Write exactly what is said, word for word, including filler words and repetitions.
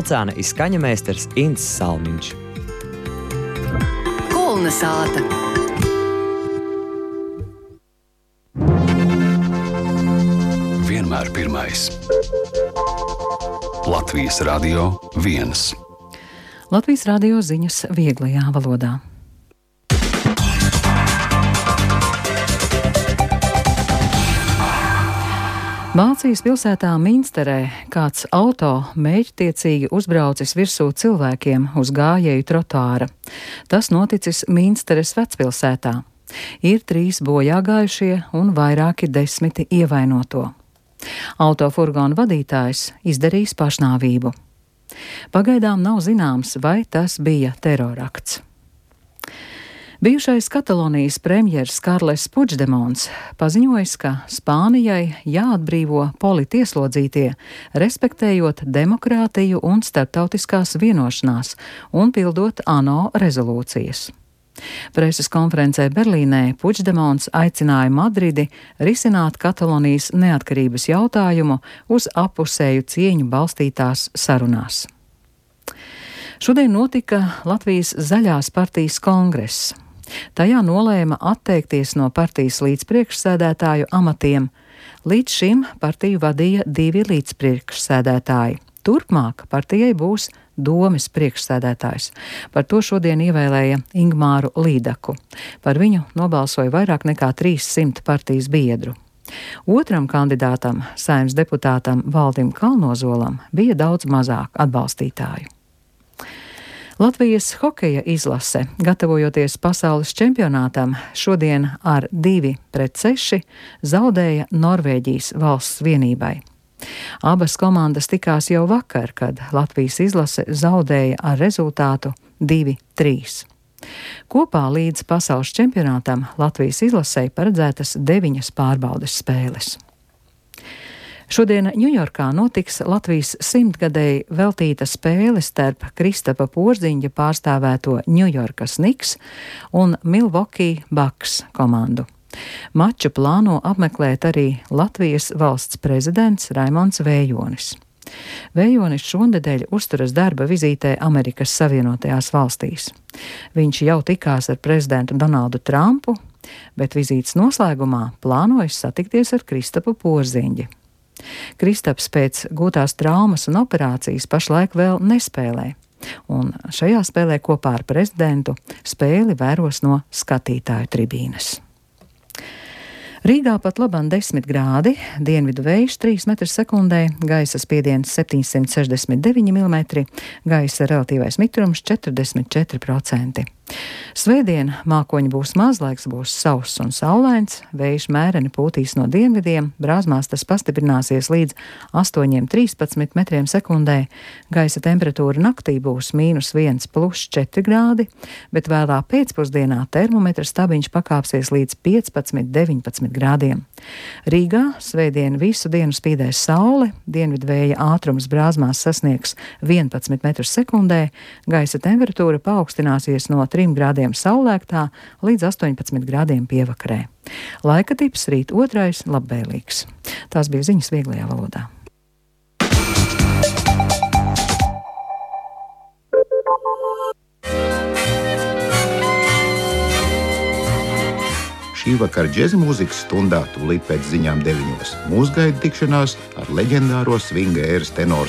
vilcāna izskaņa meistars Ints Salmiņš. Kulna sāta. Vienmēr pirmais. Latvijas Radio viens. Latvijas radio ziņas vieglajā valodā. Vācijas pilsētā Minsterē kāds auto mērķtiecīgi uzbraucis virsū cilvēkiem uz gājēju trotuāra. Tas noticis Minsteres vecpilsētā. Ir trīs bojāgājušie un vairāki desmiti ievainoto. Autofurgona vadītājs izdarījis pašnāvību. Pagaidām nav zināms, vai tas bija terorakts. Bijušais Katalonijas premjers Karles Puigdemons paziņojis, ka Spānijai jāatbrīvo politieslodzītie, respektējot demokrātiju un starptautiskās vienošanās un pildot ANO rezolūcijas. Preses konferencē Berlīnē Puigdemons aicināja Madridi risināt Katalonijas neatkarības jautājumu uz appusēju cieņu balstītās sarunās. Šodien notika Latvijas Zaļās partijas kongress. Tajā nolēma atteikties no partijas līdzpriekšsēdētāju amatiem. Līdz šim partiju vadīja divi līdzpriekšsēdētāji. Turpmāk partijai būs domes priekšsēdētājs. Par to šodien ievēlēja Ingmāru Līdaku. Par viņu nobalsoja vairāk nekā trīssimti partijas biedru. Otram kandidātam, Saeimas deputātam Valdim Kalnozolam, bija daudz mazāk atbalstītāju. Latvijas hokeja izlase, gatavojoties pasaules čempionātam, šodien ar divi pret seši zaudēja Norvēģijas valsts vienībai. Abas komandas tikās jau vakar, kad Latvijas izlase zaudēja ar rezultātu divi trīs. Kopā līdz pasaules čempionātam Latvijas izlasei paredzētas deviņas pārbaudes spēles. Šodien Ņujorkā notiks Latvijas simtgadēji veltīta spēle starp Kristapa Porziņģa pārstāvēto Ņujorkas Knicks un Milwaukee Bucks komandu. Maču plāno apmeklēt arī Latvijas valsts prezidents Raimonds Vējonis. Vējonis šonedēļ uzturas darba vizītē Amerikas Savienotajās valstīs. Viņš jau tikās ar prezidentu Donaldu Trumpu, bet vizītes noslēgumā plānojas satikties ar Kristapu Porziņģi. Kristaps pēc gūtās traumas un operācijas pašlaik vēl nespēlē, un šajā spēlē kopā ar prezidentu spēli vēros no skatītāju tribīnes. Rīgā pat labam desmit grādi, dienvidu vējš trīs metri sekundē, gaisa spiediens septiņsimt sešdesmit deviņi milimetri, gaisa relatīvais mitrums četrdesmit četri procenti. Svētdien mākoņi būs maz, laiks būs sauss un saulains, vējš mēreni pūtīs no dienvidiem, brāzmās tas pastiprināsies līdz astoņiem trīspadsmit metriem sekundē, gaisa temperatūra naktī būs mīnus viens plus četri grādi, bet vēlā pēcpusdienā termometra stabiņš pakāpsies līdz piecpadsmit deviņpadsmit grādiem. Rīgā svētdien visu dienu spīdēs saule, dienvidvēja ātrums brāzmās sasniegs vienpadsmit metrus sekundē, gaisa temperatūra paaugstināsies no trim grādiem saulēktā līdz astoņpadsmit grādiem pievakarē. Laika tips rīt otrais labvēlīgs. Tās bija ziņas vieglajā valodā. Šī vakar džeza mūzikas stundā tūlīt pēc ziņām deviņos. Mūs gaida tikšanās ar leģendāro svinga ēras tenoru